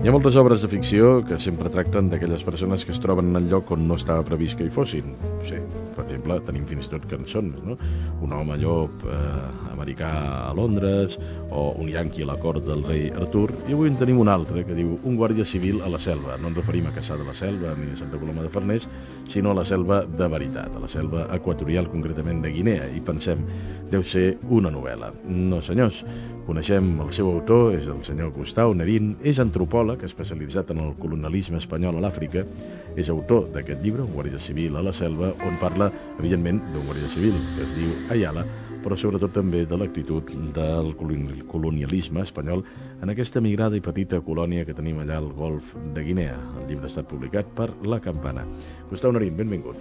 Hi ha moltes obres de ficció que sempre tracten d'aquelles persones que es troben en el lloc on no estava previst que hi fossin. No sé, per exemple, tenim fins i tot cançons, no? Un home llop americà a Londres, o un yanqui a la cort del rei Artur, i avui en tenim un altre que diu un guàrdia civil a la selva. No ens referim a Caçà de la Selva ni a Santa Coloma de Farners, sinó a la selva de veritat, a la selva equatorial, concretament de Guinea, i pensem, deu ser una novel·la. No, senyors, coneixem el seu autor, és el senyor Gustau Nerín, és antropòleg, especialitzat en el colonialisme espanyol a l'Àfrica, és autor d'aquest llibre, Un guàrdia civil a la selva, on parla, evidentment, d'un guàrdia civil que es diu Ayala, però sobretot també de l'actitud del colonialisme espanyol en aquesta migrada i petita colònia que tenim allà al golf de Guinea. El llibre ha estat publicat per La Campana. Gustau Nerín, benvingut.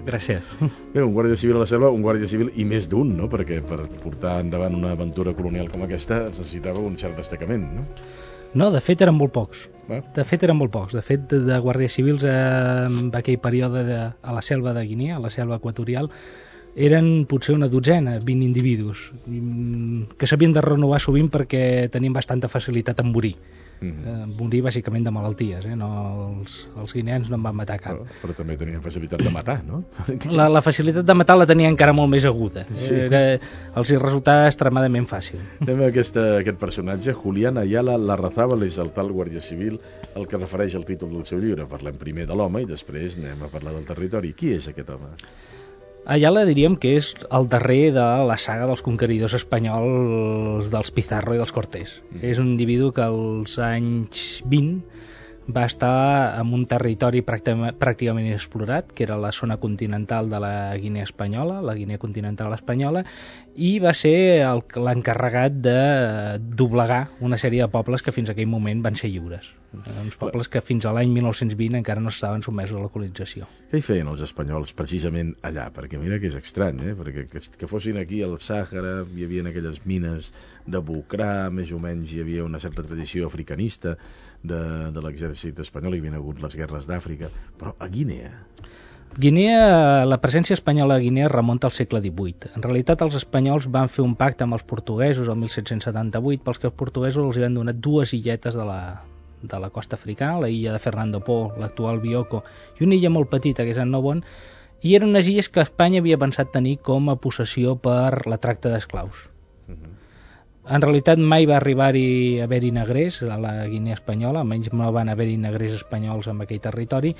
Gràcies. Bé, un guàrdia civil a la selva, un guàrdia civil i més d'un, no? Perquè per portar endavant una aventura colonial com aquesta es necessitava un cert destacament, no? No, de fet eren molt pocs. De fet, de guàrdies civils en aquell període a la selva de Guinea, a la selva equatorial, eren potser una dotzena, 20 individus, que s'havien de renovar sovint perquè tenien bastanta facilitat en morir. Morir bàsicament de malalties, no? Els guineans no en van matar cap. Però també tenien facilitat de matar, no? La facilitat de matar la tenien encara molt més aguda. Sí. Els hi resultava extremadament fàcil. Anem a aquest personatge, Julián Ayala Larrazábal, és el tal guàrdia civil al que refereix el títol del seu llibre. Parlem primer de l'home i després anem a parlar del territori. Qui és aquest home? Ayala diríem que és el darrer de la saga dels conqueridors espanyols dels Pizarro i dels Cortés. És un individu que als anys 20 va estar en un territori pràcticament inexplorat, que era la zona continental de la Guinea espanyola, la Guinea continental espanyola, i va ser l'encarregat de doblegar una sèrie de pobles que fins a aquell moment van ser lliures. Uns pobles que fins a l'any 1920 encara no estaven sotmesos a la colonització. Què hi feien els espanyols precisament allà? Perquè mira que és estrany, perquè que fossin aquí al Sàhara, hi havia aquelles mines de Bucrà, més o menys hi havia una certa tradició africanista de l'exèrcit espanyol, hi havia hagut les guerres d'Àfrica, però a Guinea... La presència espanyola a Guinea remunta al segle XVIII. En realitat, els espanyols van fer un pacte amb els portuguesos el 1778, pels que els portuguesos els van donar dues illetes de la costa africana, la illa de Fernando Po, l'actual Bioko, i una illa molt petita, que és Annobon, i eren unes illes que Espanya havia pensat tenir com a possessió per la tracta d'esclaus. En realitat mai va haver-hi negrers a la Guinea espanyola, almenys no van haver-hi negrers espanyols en aquell territori,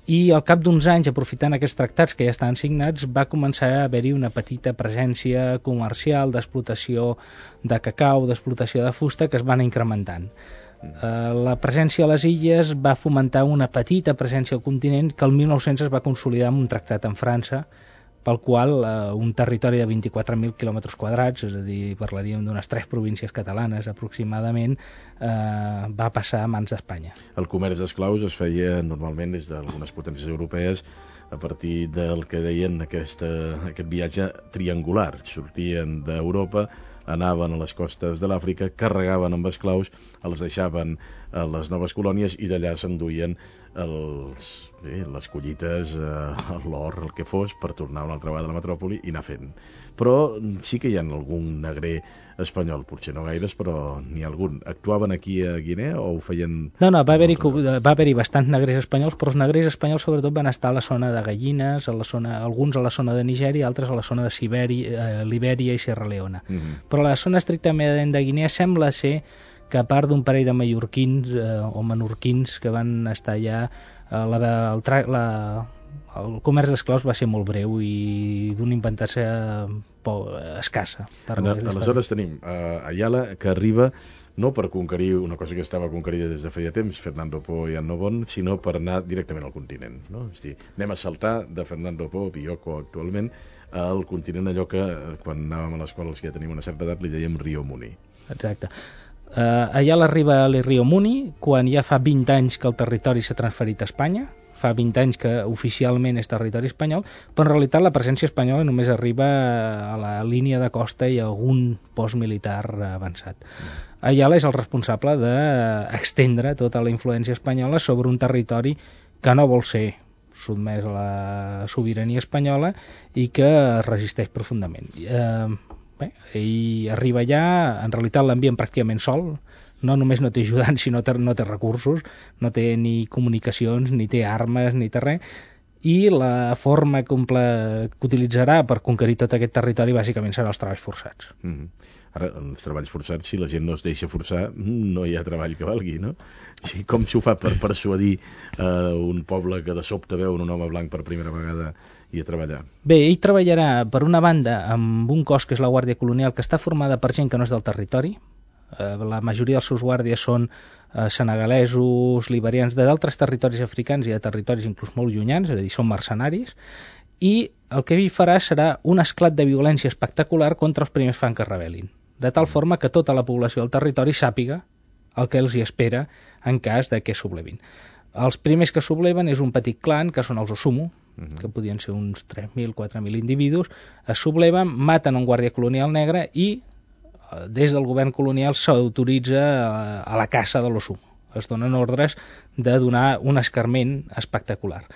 i al cap d'uns anys, aprofitant aquests tractats que ja estaven signats, va començar a haver-hi una petita presència comercial d'explotació de cacau, d'explotació de fusta, que es van incrementant. La presència a les illes va fomentar una petita presència al continent que el 1900 es va consolidar amb un tractat amb França, pel qual un territori de 24.000 quilòmetres quadrats, és a dir, parlaríem d'unes 3 províncies catalanes aproximadament, va passar a mans d'Espanya. El comerç d'esclaus es feia normalment des d'algunes potències europees a partir del que deien aquest viatge triangular. Sortien d'Europa, anaven a les costes de l'Àfrica, carregaven amb esclaus, els deixaven a les noves colònies i d'allà s'enduien les collites, l'or, el que fos, per tornar una altra vegada a la metròpoli i anar fent. Però sí que hi ha algun negrer espanyol, potser no gaires, però n'hi ha algun. Actuaven aquí a Guinea o ho feien... No, va haver-hi bastants negrers espanyols, però els negrers espanyols sobretot van estar a la zona de Gallines, alguns a la zona de Nigèria, altres a la zona de Libèria i Sierra Leona. Però la zona estrictament de Guinea sembla ser que a part d'un parell de mallorquins o menorquins que van estar allà, el comerç d'esclaus va ser molt breu i d'una importància escassa. Aleshores tenim Ayala, que arriba no per conquerir una cosa que estava conquerida des de feia temps, Fernando Po i Annobon, sinó per anar directament al continent. No? És a dir, anem a saltar de Fernando Po, Bioko actualment, al continent, allò que quan anàvem a l'escola, els que ja tenim una certa edat, li dèiem Rio Muni. Exacte. Ayala arriba a Rio Muni quan ja fa 20 anys que el territori s'ha transferit a Espanya, fa 20 anys que oficialment és territori espanyol, però en realitat la presència espanyola només arriba a la línia de costa i a algun post militar avançat. Ayala és el responsable d'extendre tota la influència espanyola sobre un territori que no vol ser sotmès a la sobirania espanyola i que resisteix profundament. Ell arriba allà, en realitat l'envien pràcticament sol, no només no té ajudants, sinó que no té recursos, no té ni comunicacions, ni té armes, ni té res, i la forma que utilitzarà per conquerir tot aquest territori bàsicament serà els treballs forçats. Ara, els treballs forçats, si la gent no es deixa forçar, no hi ha treball que valgui, no? Així, com s'ho fa per persuadir un poble que de sobte veu un home blanc per primera vegada i a treballar? Bé, ell treballarà, per una banda, amb un cos que és la Guàrdia Colonial, que està formada per gent que no és del territori. La majoria dels seus guàrdies són senegalesos, liberians, d'altres territoris africans i de territoris inclús molt llunyans, és a dir, són mercenaris, i el que ell farà serà un esclat de violència espectacular contra els primers fang que es rebel·lin, de tal forma que tota la població del territori sàpiga el que els hi espera en cas de que sublevin. Els primers que subleven és un petit clan, que són els Osumu, que podien ser uns 3.000, 4.000 individus, es subleven, maten un guàrdia colonial negre i des del govern colonial s'autoritza a la caça de l'Osumu. Es donen ordres de donar un escarment espectacular.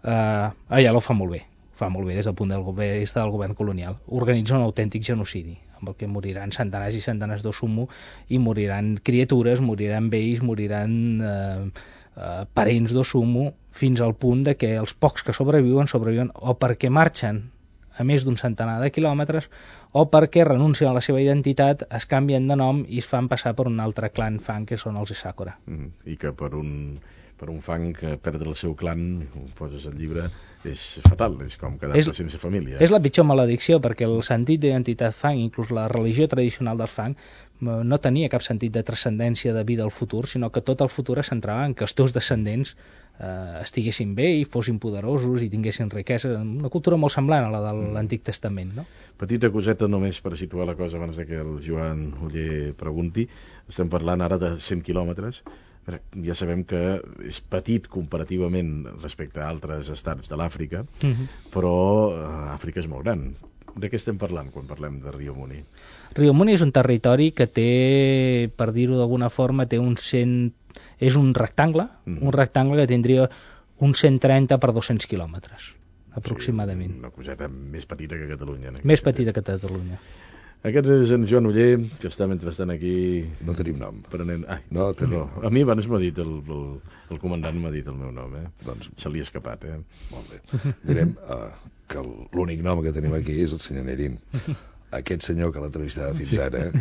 Allà ho fa molt bé des del punt de vista del govern colonial. Organitza un autèntic genocidi, amb el que moriran centenars i centenars d'Osumu i moriran criatures, moriran vells, moriran parents d'Osumu, fins al punt de que els pocs que sobreviuen o perquè marxen a més d'un centenar de quilòmetres o perquè renuncien a la seva identitat, es canvien de nom i es fan passar per un altre clan fang, que són els Isakura. I que per un fang que perdre el seu clan, ho poses al llibre, és fatal, és com quedar-se sense família. És la pitjor maledicció, perquè el sentit d'identitat fang, inclús la religió tradicional dels fang, no tenia cap sentit de transcendència de vida al futur, sinó que tot el futur es centrava en que els teus descendents estiguessin bé i fossin poderosos i tinguessin riquesa, una cultura molt semblant a la de l'Antic Testament, no? Petita coseta només per situar la cosa abans de que el Joan Oller pregunti. Estem parlant ara de 100 quilòmetres. Ja sabem que és petit comparativament respecte a altres estats de l'Àfrica, però Àfrica és molt gran. De què estem parlant quan parlem de Rio Muni? Rio Muni és un territori que té, per dir-ho d'alguna forma, és un rectangle que tindria uns 130 per 200 quilòmetres, aproximadament. Sí, una coseta més petita que Catalunya. Més petita que Catalunya. Aquest és en Joan Oller, que està mentrestant aquí... No tenim nom. Prenent... No tenim. No. A mi abans m'ha dit, el comandant m'ha dit el meu nom, Doncs se li ha escapat, Molt bé. Direm que l'únic nom que tenim aquí és el senyor Nerín. Aquest senyor que l'entrevistava fins ara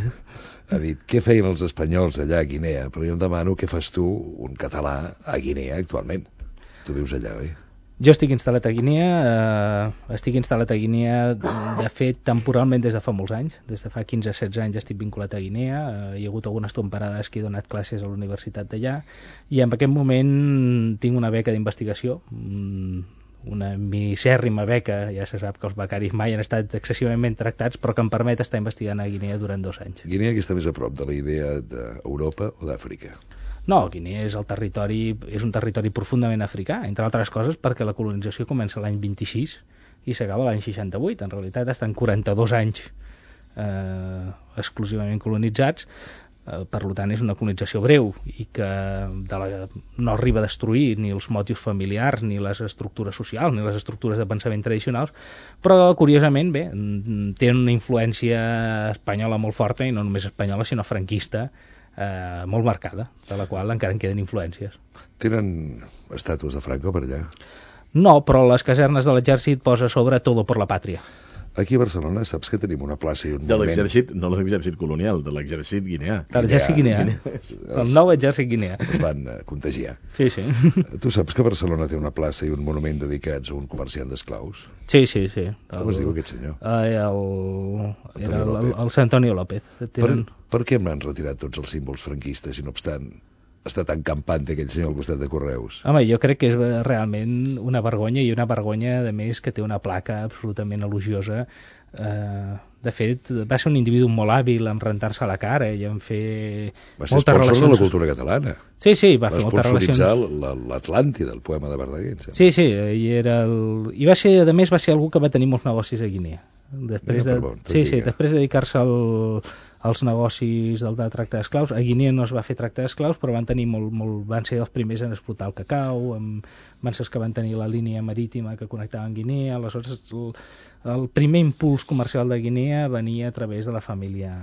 ha dit què feien els espanyols allà a Guinea, però jo em demano què fas tu, un català, a Guinea actualment. Tu vius allà, oi? Jo estic instal·lat a Guinea, de fet, temporalment des de fa molts anys. Des de fa 15-16 anys estic vinculat a Guinea. Hi ha hagut algunes temporades que he donat classes a la universitat d'allà i en aquest moment tinc una beca d'investigació, una misèrrima beca, ja se sap que els becaris mai han estat excessivament tractats, però que em permet estar investigant a Guinea durant 2 anys. Guinea que està més a prop de la idea d'Europa o d'Àfrica? No, Guinea és un territori profundament africà, entre altres coses perquè la colonització comença l'any 26 i s'acaba l'any 68. En realitat estan 42 anys exclusivament colonitzats, per tant és una colonització breu i que no arriba a destruir ni els motius familiars, ni les estructures socials, ni les estructures de pensament tradicionals, però curiosament tenen una influència espanyola molt forta, i no només espanyola sinó franquista, molt marcada, de la qual encara en queden influències. Tenen estàtues de Franco per allà? No, però les casernes de l'exèrcit posa sobre Todo por la Patria. Aquí a Barcelona saps que tenim una plaça i un monument... De l'exèrcit, no l'exèrcit colonial, de l'exèrcit guineà. De l'exèrcit guineà. El nou exèrcit guineà. Es van contagiar. Sí. Tu saps que Barcelona té una plaça i un monument dedicats a un comerciant d'esclaus? Sí. Com es diu aquest senyor? El Antonio López. Per què m'han retirat tots els símbols franquistes i no obstant està tan campante aquell senyor al costat de Correus? Home, jo crec que és realment una vergonya, i una vergonya, a més, que té una placa absolutament elogiosa. De fet, va ser un individu molt hàbil en rentar-se a la cara i en fer moltes relacions... Va ser sponsor de la cultura catalana. Sí, va fer moltes relacions. Va sponsoritzar l'Atlàntida, el poema de Verdaguer. Sí, i va ser, a més, va ser algú que va tenir molts negocis a Guinea. Després de dedicar-se als negocis del tracte d'esclaus, a Guinea no es va fer tracte d'esclaus, però van ser els primers en explotar el cacau, van ser els que van tenir la línia marítima que connectava amb Guinea. Aleshores, el primer impuls comercial de Guinea venia a través de la família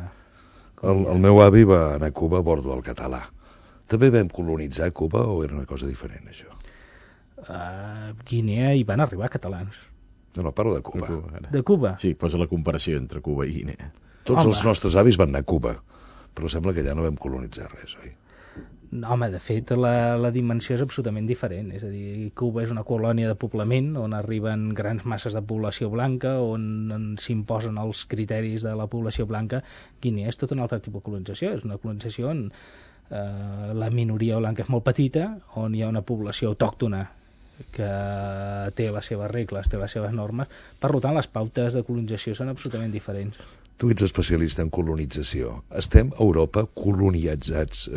El meu avi va anar a Cuba a bordo del català. També vam colonitzar Cuba o era una cosa diferent, això? A Guinea hi van arribar catalans. No, parlo de Cuba. De Cuba? Sí, posa la comparació entre Cuba i Guinea. Tots els nostres avis van anar a Cuba, però sembla que allà no vam colonitzar res, oi? No, home, de fet, la dimensió és absolutament diferent. És a dir, Cuba és una colònia de poblament on arriben grans masses de població blanca, on s'imposen els criteris de la població blanca. Guinea és tot un altre tipus de colonització. És una colonització on la minoria blanca és molt petita, on hi ha una població autòctona que té les seves regles, té les seves normes. Per tant, les pautes de colonització són absolutament diferents. Tu ets especialista en colonització. Estem a Europa colonitzats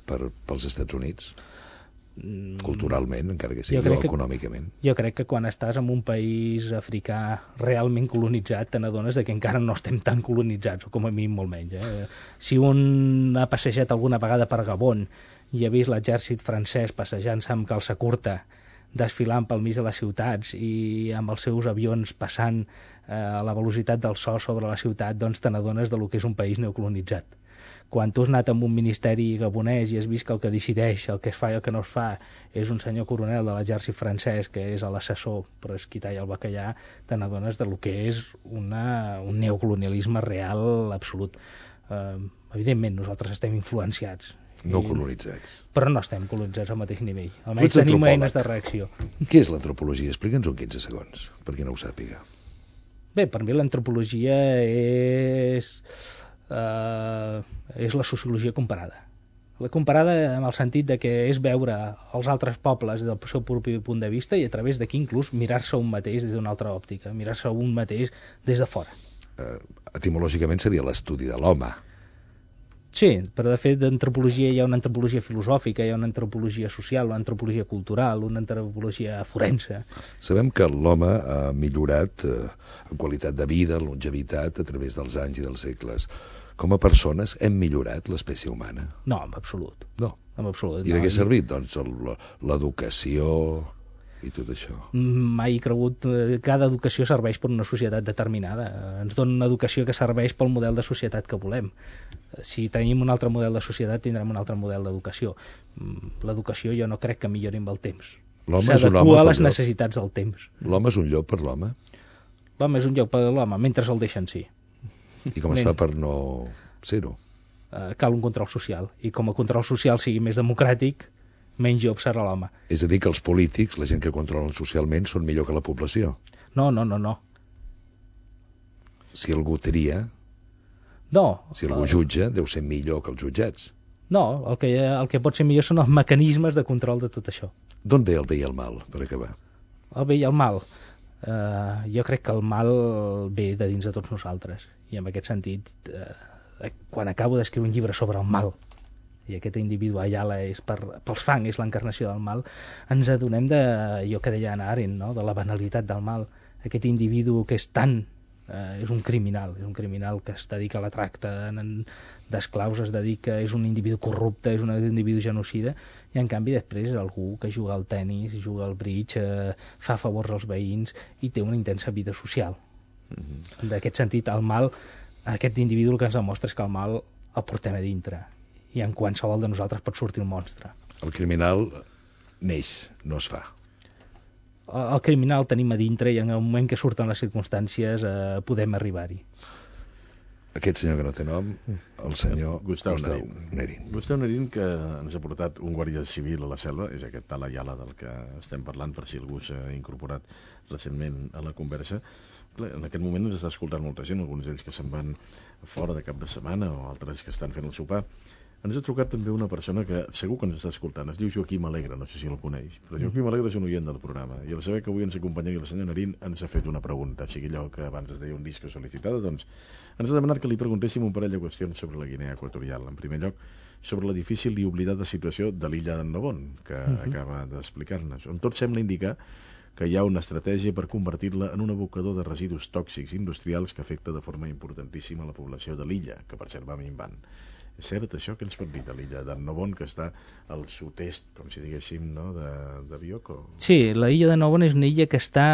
pels Estats Units? Culturalment, encara que sigui econòmicament. Jo crec que quan estàs en un país africà realment colonitzat, te n'adones que encara no estem tan colonitzats, o com a mínim molt menys. Si un ha passejat alguna vegada per Gabon i ha vist l'exèrcit francès passejant-se amb calça curta, desfilant pel mig de les ciutats i amb els seus avions passant a la velocitat del so sobre la ciutat, doncs te n'adones del que és un país neocolonitzat. Quan tu has anat amb un ministeri gabonès i has vist que el que decideix, el que es fa i el que no es fa, és un senyor coronel de l'exèrcit francès, que és l'assessor per esquitar i el bacallà, te n'adones del que és un neocolonialisme real absolut. Evidentment, nosaltres estem influenciats. No colonitzats. Però no estem colonitzats al mateix nivell. Almenys tenim eines de reacció. Què és l'antropologia? Explica'ns-ho en 15 segons, per qui no ho sàpiga. Bé, per mi l'antropologia és la sociologia comparada. La comparada en el sentit de que és veure els altres pobles des del seu propi punt de vista i a través d'aquí inclús mirar-se un mateix des d'una altra òptica, mirar-se un mateix des de fora. Etimològicament seria l'estudi de l'home. Sí, però de fet d'antropologia hi ha una antropologia filosòfica, hi ha una antropologia social, una antropologia cultural, una antropologia forense. Sabem que l'home ha millorat en qualitat de vida, en longevitat, a través dels anys i dels segles. Com a persones hem millorat l'espècie humana? No, en absolut. No? En absolut. I de què ha servit? Doncs l'educació i tot això. Mai he cregut que cada educació serveix per una societat determinada. Ens dona una educació que serveix pel model de societat que volem. Si tenim un altre model de societat, tindrem un altre model d'educació. L'educació jo no crec que millori amb el temps. S'adequa a les necessitats del temps. L'home és un lloc per l'home? L'home és un lloc per l'home, mentre el deixen sí. I com es fa per no ser-ho? Cal un control social. I com a control social sigui més democràtic, menys job serà l'home. És a dir, que els polítics, la gent que controlen socialment, són millor que la població? No. Si algú tria... No. Si algú jutja, deu ser millor que els jutjats. No, el que pot ser millor són els mecanismes de control de tot això. D'on ve el bé i el mal, per acabar? El bé i el mal? Jo crec que el mal ve de dins de tots nosaltres. I en aquest sentit, quan acabo d'escriure un llibre sobre el mal, i aquest individu Ayala és pels fang, és l'encarnació del mal, ens adonem de, jo que deia Hannah Arendt, no? De la banalitat del mal. Aquest individu que és tant, és un criminal que es dedica a la tracta d'esclaus, es dedica, és un individu corrupte, és un individu genocida, i en canvi després és algú que juga al tennis, juga al bridge, fa favors als veïns i té una intensa vida social. D'aquest sentit, el mal, aquest individu el que ens demostra és que el mal el portem a dintre, i en qualsevol de nosaltres pot sortir un monstre. El criminal neix, no es fa. El criminal el tenim a dintre i en el moment que surten les circumstàncies podem arribar-hi. Aquest senyor que no té nom, el senyor Gustau Nering. Gustau Nering, que ens ha portat un guàrdia civil a la selva, és aquest tal Ayala del que estem parlant, per si algú s'ha incorporat recentment a la conversa. En aquest moment ens està escoltant molta gent, alguns d'ells que se'n van fora de cap de setmana o altres que estan fent el sopar. Ens ha trucat també una persona que segur que ens està escoltant, es diu Joaquim Alegre, no sé si el coneix, però Joaquim Alegre és un oient del programa, i al saber que avui ens acompanyaria el senyor Nering ens ha fet una pregunta, o sigui allò que abans es deia un disco sol·licitada, doncs ens ha demanat que li preguntéssim un parell de qüestions sobre la Guinea Equatorial. En primer lloc, sobre la difícil i oblidada situació de l'illa d'en Nabon, que acaba d'explicar-nos, on tot sembla indicar que hi ha una estratègia per convertir-la en un abocador de residus tòxics industrials que afecta de forma importantíssima la població de l'illa, que per cert va minvant. És cert això que ens pot dir de l'illa d'en Nabon, que està al sud-est, com si diguéssim, no, de Bioko? Sí, la illa de Nabon és una illa que està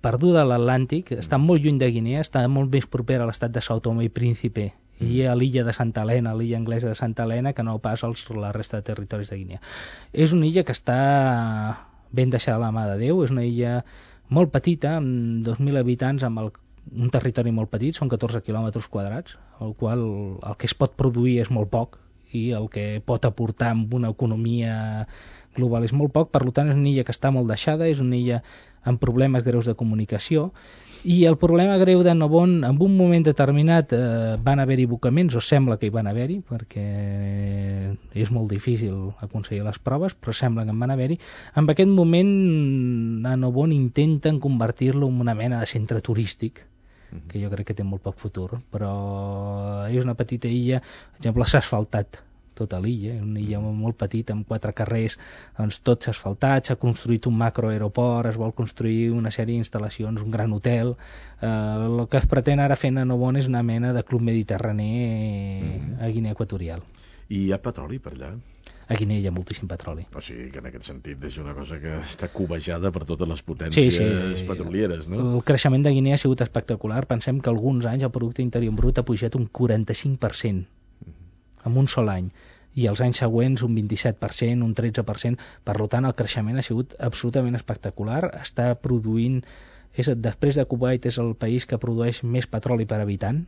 perduda a l'Atlàntic, està molt lluny de Guinea, està molt més propera a l'estat de Sao Tomé i Príncipe i a l'illa de Santa Helena, l'illa anglesa de Santa Helena, que no pas la resta de territoris de Guinea. És una illa que està ben deixada a la mà de Déu, és una illa molt petita, amb 2.000 habitants, amb un territori molt petit, són 14 quilòmetres quadrats, el qual el que es pot produir és molt poc, i el que pot aportar amb una economia global és molt poc, per tant és una illa que està molt deixada, és una illa amb problemes greus de comunicació, i el problema greu de Nobon, en un moment determinat van haver-hi abocaments, o sembla que hi van haver-hi, perquè és molt difícil aconseguir les proves, però sembla que en van haver-hi. En aquest moment a Nobon intenten convertir-lo en una mena de centre turístic, que jo crec que té molt poc futur, però és una petita illa, per exemple, s'ha asfaltat tota l'illa, és una illa molt petita, amb 4 carrers, doncs tot s'ha asfaltat, s'ha construït un macroaeroport, es vol construir una sèrie d'instal·lacions, un gran hotel. El que es pretén ara fer a Nobon és una mena de club mediterrani a Guinea Equatorial. I hi ha petroli per allà? A Guinea hi ha moltíssim petroli. O sigui que en aquest sentit és una cosa que està cobejada per totes les potències petrolieres, no? El creixement de Guinea ha sigut espectacular. Pensem que alguns anys el producte interior brut ha pujat un 45% en un sol any, i els anys següents un 27%, un 13%. Per tant, el creixement ha sigut absolutament espectacular. Està produint, després de Kuwait, és el país que produeix més petroli per habitant.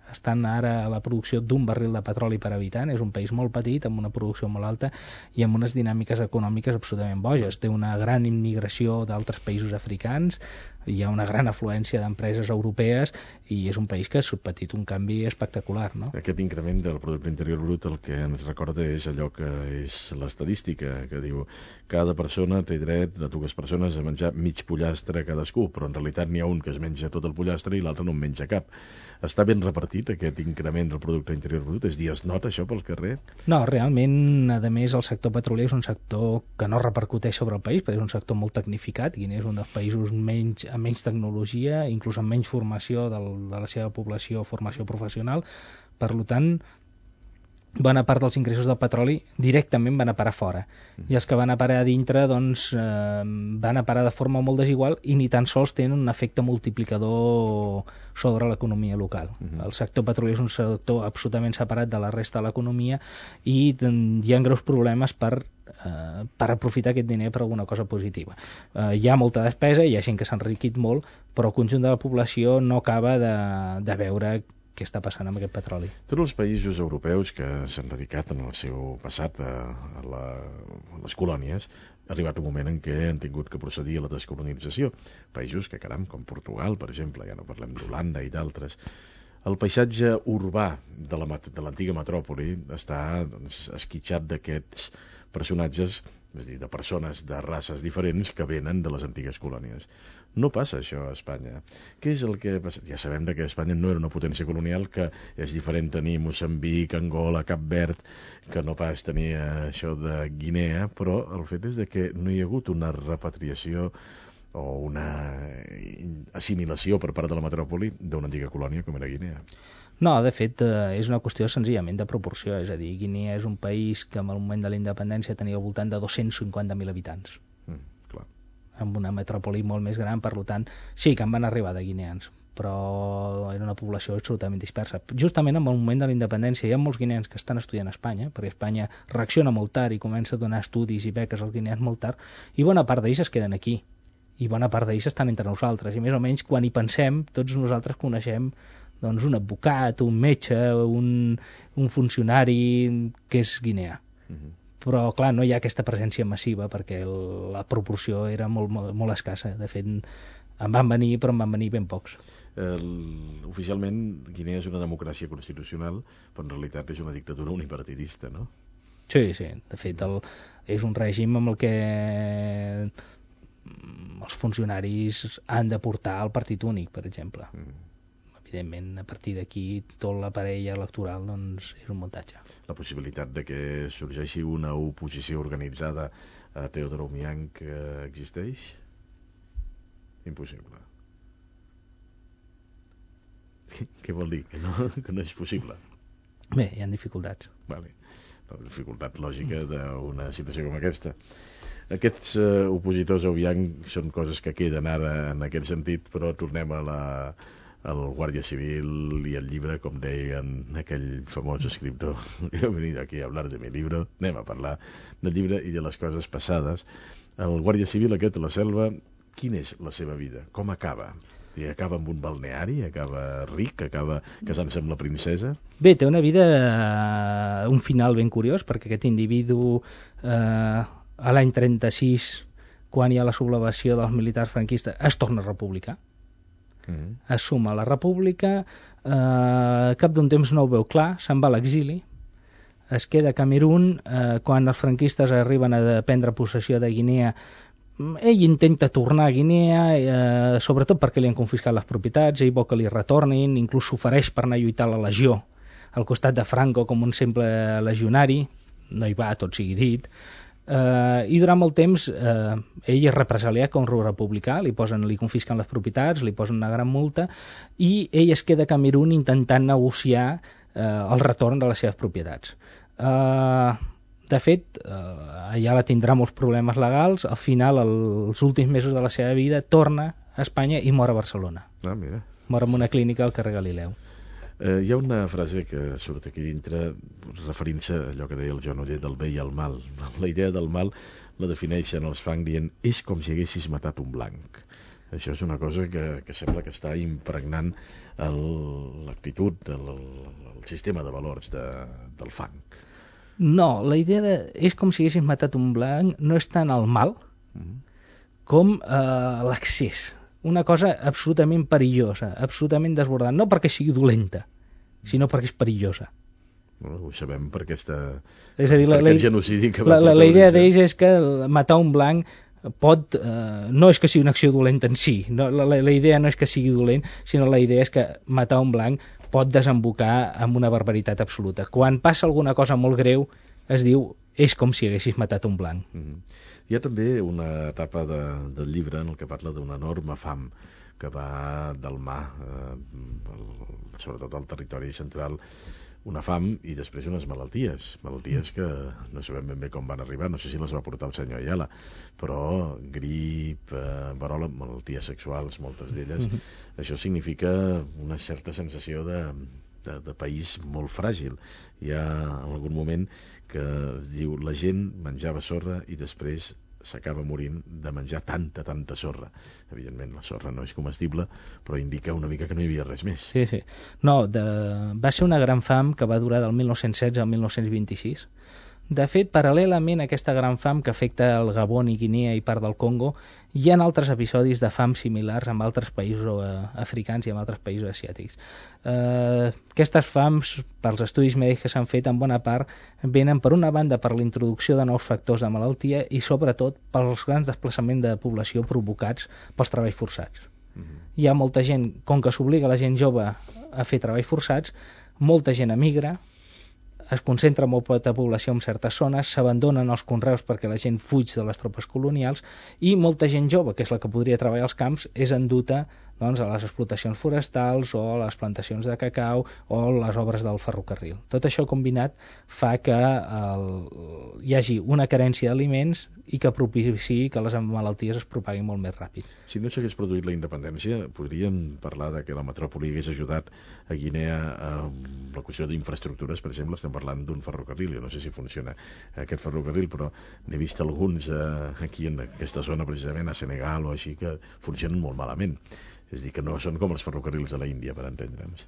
Estan ara a la producció d'un barril de petroli per habitant. És un país molt petit, amb una producció molt alta i amb unes dinàmiques econòmiques absolutament boges. Té una gran immigració d'altres països africans, hi ha una gran afluència d'empreses europees i és un país que ha patit un canvi espectacular, no? Aquest increment del producte interior brut el que ens recorda és allò que és l'estadística, que diu cada persona té dret, de 2 persones, a menjar mig pollastre cadascú, però en realitat n'hi ha un que es menja tot el pollastre i l'altre no en menja cap. Està ben repartit aquest increment del producte interior brut? És a dir, es nota això pel carrer? No, realment, a més, el sector petrolier és un sector que no repercuteix sobre el país, perquè és un sector molt tecnificat. Guinea és un dels països amb menys tecnologia, inclús amb menys formació de la seva població, formació professional. Per tant, bona part dels ingressos del petroli directament van a parar fora, i els que van a parar a dintre doncs, van a parar de forma molt desigual i ni tan sols tenen un efecte multiplicador sobre l'economia local. El sector petrolier és un sector absolutament separat de la resta de l'economia i hi ha greus problemes per aprofitar aquest diner per alguna cosa positiva. Hi ha molta despesa, hi ha gent que s'ha enriquit molt, però el conjunt de la població no acaba de veure què està passant amb aquest petroli. Tots els països europeus que s'han dedicat en el seu passat a les colònies, ha arribat un moment en què han tingut que procedir a la descolonització. Països que, caram, com Portugal, per exemple, ja no parlem d'Holanda i d'altres. El paisatge urbà de l'antiga metròpoli està esquitxat d'aquests personatges, és a dir, de persones de races diferents que venen de les antigues colònies. No passa això a Espanya. Què és el que passa? Ja sabem que Espanya no era una potència colonial, que és diferent tenir Moçambic, Angola, Cap Verd, que no pas tenir això de Guinea, però el fet és que no hi ha hagut una repatriació o una assimilació per part de la metròpoli d'una antiga colònia com era Guinea. No, de fet, és una qüestió senzillament de proporció, és a dir, Guinea és un país que en el moment de la independència tenia al voltant de 250.000 habitants. Clar. Amb una metròpoli molt més gran, per tant, sí que en van arribar de guineans, però era una població absolutament dispersa. Justament en el moment de la independència hi ha molts guineans que estan estudiant a Espanya, perquè Espanya reacciona molt tard i comença a donar estudis i beques als guineans molt tard, i bona part d'ells es queden aquí, i bona part d'ells estan entre nosaltres, i més o menys quan hi pensem, tots nosaltres coneixem doncs un advocat, un metge, un funcionari que és guineà. Però, clar, no hi ha aquesta presència massiva perquè la proporció era molt, molt, molt escassa. De fet, en van venir, però en van venir ben pocs. Oficialment, Guinea és una democràcia constitucional, però en realitat és una dictadura unipartidista, no? Sí, sí. De fet, és un règim amb el que els funcionaris han de portar el partit únic, per exemple. Evidentment, a partir d'aquí, tot l'aparell electoral doncs, és un muntatge. La possibilitat de que sorgeixi una oposició organitzada a Teodoro Obiang existeix? Impossible. Què vol dir? Que no és possible? Bé, hi ha dificultats. Vale. La dificultat lògica d'una situació com aquesta. Aquests opositors a Obiang són coses que queden ara en aquest sentit, però tornem a el Guàrdia Civil i el llibre, com deien aquell famós escriptor, he venido aquí a hablar de mi libro, anem a parlar del llibre i de les coses passades. El Guàrdia Civil aquest a la selva, quina és la seva vida? Com acaba? I acaba amb un balneari, acaba ric, acaba casant-se amb la princesa? Bé, té una vida, un final ben curiós, perquè aquest individu a l'any 36, quan hi ha la sublevació dels militars franquistes, es torna republicà, es suma a la república, cap d'un temps no ho veu clar, se'n va a l'exili, es queda a Camerún, quan els franquistes arriben a prendre possessió de Guinea, ell intenta tornar a Guinea, sobretot perquè li han confiscat les propietats, ell vol que li retornin, inclús s'ofereix per anar a lluitar a la legió, al costat de Franco com un simple legionari, no hi va, tot sigui dit, i durant molt temps ell és represaliat com un republicà, li confisquen les propietats, li posen una gran multa, i ell es queda a Camerún intentant negociar el retorn de les seves propietats. De fet, allà la tindrà molts problemes legals, al final, els últims mesos de la seva vida, torna a Espanya i mor a Barcelona. Ah, mira. Mor en una clínica al carrer Galileu. Hi ha una frase que surt aquí dintre referint-se a allò que deia el Joan Oller del bé i el mal. La idea del mal la defineixen els Fang dient és com si haguessis matat un blanc. Això és una cosa que sembla que està impregnant l'actitud, el sistema de valors del Fang. No, la idea és com si haguessis matat un blanc no és tant el mal com l'excés. Una cosa absolutament perillosa, absolutament desbordant, no perquè sigui dolenta, sinó perquè és perillosa. Ho sabem per aquest genocidi que va la idea d'ells és que matar un blanc pot, no és que sigui una acció dolenta en si, no, la idea no és que sigui dolent, sinó la idea és que matar un blanc pot desembocar en una barbaritat absoluta. Quan passa alguna cosa molt greu, es diu, és com si haguessis matat un blanc. Hi ha també una etapa del llibre en el que parla d'una enorme fam que va del mar, sobretot al territori central, una fam i després unes malalties que no sabem ben bé com van arribar, no sé si les va portar el senyor Ayala, però grip, verola, malalties sexuals, moltes d'elles. Això significa una certa sensació de país molt fràgil. Hi ha algun moment que es diu la gent menjava sorra i després s'acaba morint de menjar tanta sorra. Evidentment la sorra no és comestible, però indica una mica que no hi havia res més. Sí. No, va ser una gran fam que va durar del 1916 al 1926. De fet, paral·lelament a aquesta gran fam que afecta el Gabon i Guinea i part del Congo, hi ha altres episodis de fam similars en altres països africans i en altres països asiàtics. Aquestes fams, pels estudis mèdics que s'han fet, en bona part venen per una banda per la introducció de nous factors de malaltia i sobretot pels grans desplaçaments de població provocats pels treballs forçats. Hi ha molta gent, com que s'obliga la gent jove a fer treballs forçats, molta gent emigra, es concentra molt poca població en certes zones, s'abandonen els conreus perquè la gent fuig de les tropes colonials i molta gent jove, que és la que podria treballar als camps, és enduta a les explotacions forestals o a les plantacions de cacau o les obres del ferrocarril. Tot això combinat fa que hi hagi una carència d'aliments i que propiciï que les malalties es propaguin molt més ràpid. Si no s'hagués produït la independència, podríem parlar de que la metròpoli hagués ajudat a Guinea amb la qüestió d'infraestructures, per exemple, estem parlant d'un ferrocarril, jo no sé si funciona aquest ferrocarril, però n'he vist alguns aquí en aquesta zona, precisament a Senegal o així, que funcionen molt malament. És a dir, que no són com els ferrocarrils de la Índia, per entendre'ns.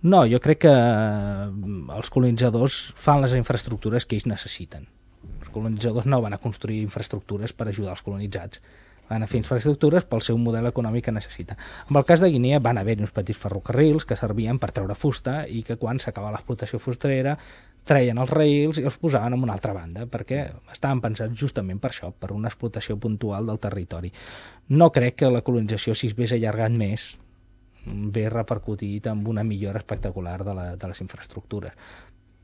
No, jo crec que els colonitzadors fan les infraestructures que ells necessiten. Els colonitzadors no van a construir infraestructures per ajudar els colonitzats, van a fer infraestructures pel seu model econòmic que necessiten. En el cas de Guinea van haver uns petits ferrocarrils que servien per treure fusta i que quan s'acaba l'explotació fusterera treien els raïls i els posaven en una altra banda, perquè estaven pensats justament per això, per una explotació puntual del territori. No crec que la colonització, si es hagués allargat més, ve repercutit amb una millora espectacular de les infraestructures,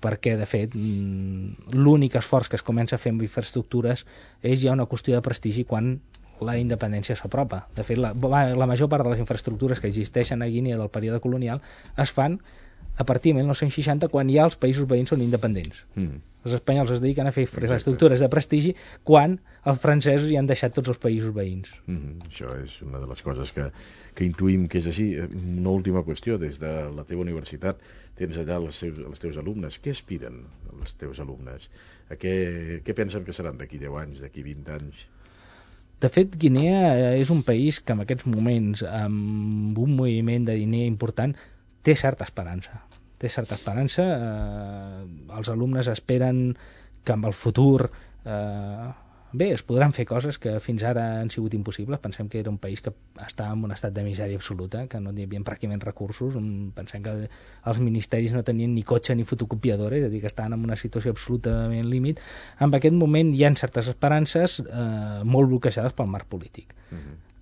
perquè de fet l'únic esforç que es comença a fer amb infraestructures és ja una qüestió de prestigi quan la independència s'apropa. De fet, la major part de les infraestructures que existeixen a Guinea del període colonial es fan a partir de 1960, quan ja els països veïns són independents. Els espanyols es dediquen a fer infraestructures de prestigi quan els francesos ja han deixat tots els països veïns. Això és una de les coses que intuïm que és així. Una última qüestió, des de la teva universitat tens allà els teus alumnes. Què aspiren els teus alumnes? Què pensen que seran d'aquí 10 anys, d'aquí 20 anys? De fet, Guinea és un país que en aquests moments, amb un moviment de diner important, té certa esperança. Els alumnes esperen que amb el futur es podran fer coses que fins ara han sigut impossibles. Pensem que era un país que estava en un estat de misèria absoluta, que no hi havia pràcticament recursos. Pensem que els ministeris no tenien ni cotxe ni fotocopiadora, és a dir, que estaven en una situació absolutament límit. En aquest moment hi ha certes esperances molt bloquejades pel marc polític.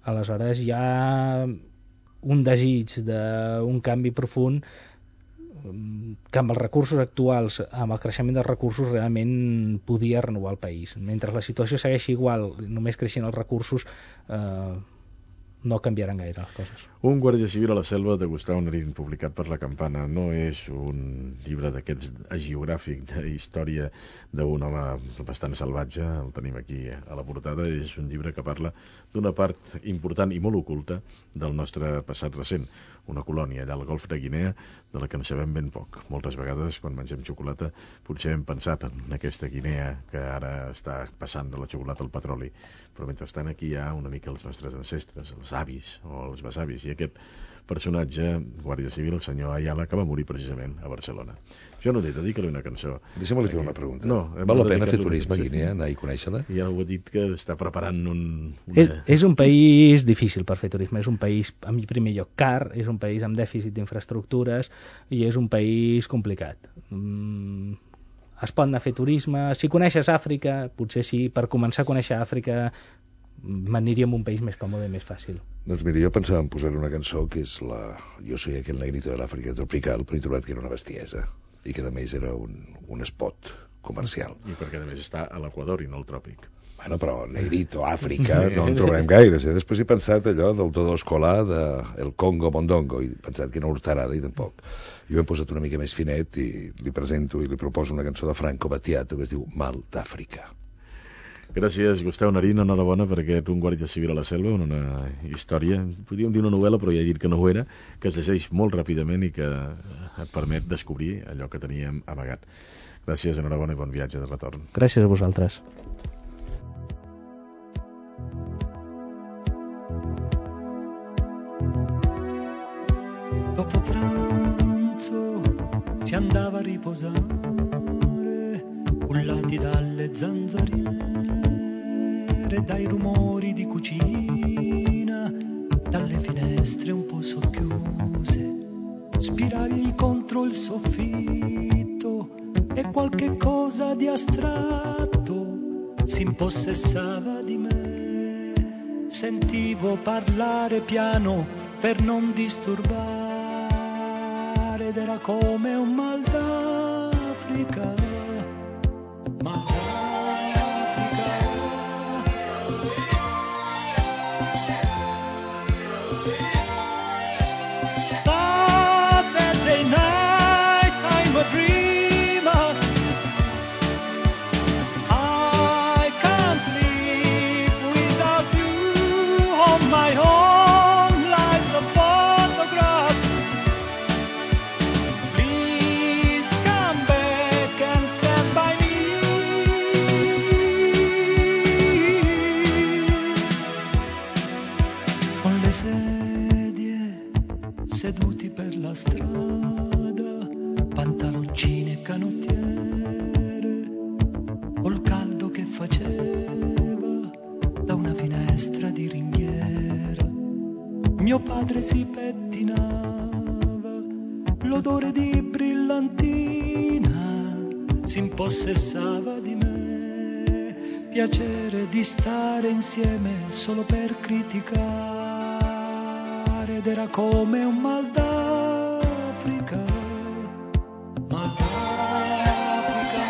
Aleshores hi ha un desig d'un canvi profund que amb els recursos actuals, amb el creixement dels recursos, realment podia renovar el país. Mentre la situació segueixi igual, només creixent els recursos, no canviaran gaire les coses. Un guàrdia civil a la selva de Gustau Narín, publicat per La Campana, no és un llibre d'aquests hagiogràfic de història d'un home bastant salvatge, el tenim aquí a la portada, és un llibre que parla d'una part important i molt oculta del nostre passat recent, una colònia allà al golf de Guinea, de la que en sabem ben poc. Moltes vegades, quan mengem xocolata, potser hem pensat en aquesta Guinea que ara està passant de la xocolata al petroli, però mentrestant aquí hi ha una mica els nostres ancestres, els avis o els besavis, i aquest personatge, guàrdia civil, el senyor Ayala, que va morir precisament a Barcelona. Jo no li dedico-li una cançó. Deixa'm-li fer una pregunta. No, val la pena fer turisme a Guinea, anar i conèixer-la? Ja ho he dit que està preparant És un país difícil per fer turisme, és un país, en primer lloc, car, és un país amb dèficit d'infraestructures i és un país complicat. Es pot anar a fer turisme, si coneixes Àfrica, potser sí, per començar a conèixer Àfrica m'aniria en un país més còmode i més fàcil. Doncs mira, jo pensava en posar una cançó que és Jo soy aquel negrito de l'Àfrica tropical, però he trobat que era una bestiesa i que a més era un spot comercial. I perquè a més està a l'Equador i no al tròpic. Bueno, però negrito, Àfrica, no en trobarem gaires. Després he pensat allò del todo escolar del Congo Mondongo i he pensat que no l'hortarada i tampoc. Jo m'he posat una mica més finet i li presento i li proposo una cançó de Franco Battiato que es diu Mal d'Àfrica. Gràcies, Gustau Narín, enhorabona per aquest Un guàrdia civil a la selva, una història, podríem dir una novel·la, però ja he dit que no ho era, que es llegeix molt ràpidament i que et permet descobrir allò que teníem amagat. Gràcies, enhorabona i bon viatge de retorn. Gràcies a vosaltres. Dopo pranzo si andava a riposare, cullati dalle zanzariere, dai rumori di cucina, dalle finestre un po' socchiuse, spiragli contro il soffitto e qualche cosa di astratto si impossessava di me. Sentivo parlare piano per non disturbare ed era come un mal d'Africa. Saturday night I'm a dreamer, I can't live without you. On my own lies a photograph, please come back and stand by me. Con le sedie seduti per la strada, pantaloncine e canottiere, col caldo che faceva da una finestra di ringhiera. Mio padre si pettinava, l'odore di brillantina si impossessava di me. Piacere di stare insieme solo per criticare ed era come un mal d'Africa, mal d'Africa.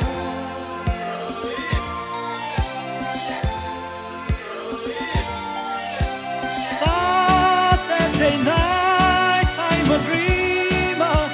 Saturday night I'm a dreamer,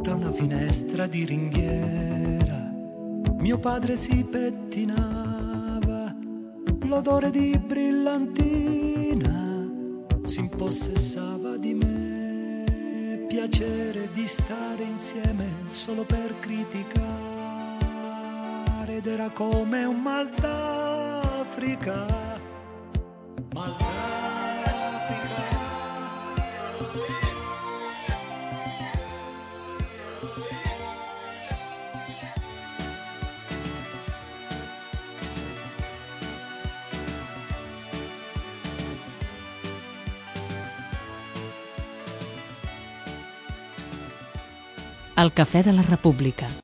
Da una finestra di ringhiera mio padre si pettinava, l'odore di brillantina si impossessava di me, piacere di stare insieme solo per criticare, ed era come un mal d'Africa, mal d'Africa. El Cafè de la República.